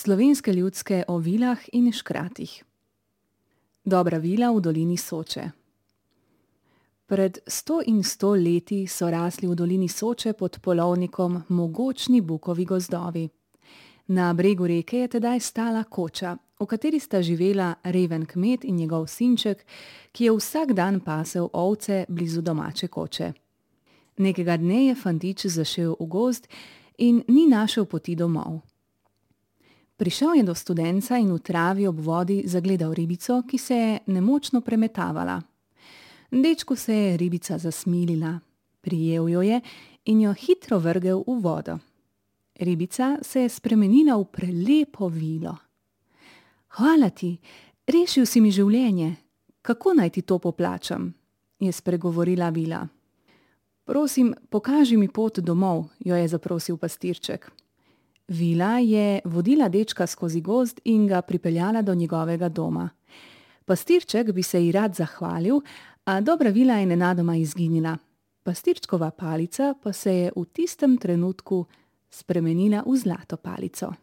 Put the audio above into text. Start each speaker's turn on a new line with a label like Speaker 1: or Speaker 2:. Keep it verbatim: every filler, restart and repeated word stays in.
Speaker 1: Slovenske ljudske o vilah in škratih. Dobra vila v dolini Soče. Pred sto in sto leti so rasli v dolini Soče pod polovnikom mogočni bukovi gozdovi. Na bregu reke je tedaj stala koča, v kateri sta živela reven kmet in njegov sinček, ki je vsak dan pasel ovce blizu domače koče. Nekega dne je fantič zašel v gozd in ni našel poti domov. Prišel je do studenca in v travi ob vodi zagledal ribico, ki se je nemočno premetavala. Dečku se je ribica zasmilila, prijel jo je in jo hitro vrgel v vodo. Ribica se je spremenila v prelepo vilo. "Hvala ti, rešil si mi življenje. Kako naj ti to poplačam?" je spregovorila vila. "Prosim, pokaži mi pot domov," jo je zaprosil pastirček. Vila je vodila dečka skozi gozd in ga pripeljala do njegovega doma. Pastirček bi se ji rad zahvalil, a dobra vila je nenadoma izginila. Pastirčkova palica pa se je v tistem trenutku spremenila v zlato palico.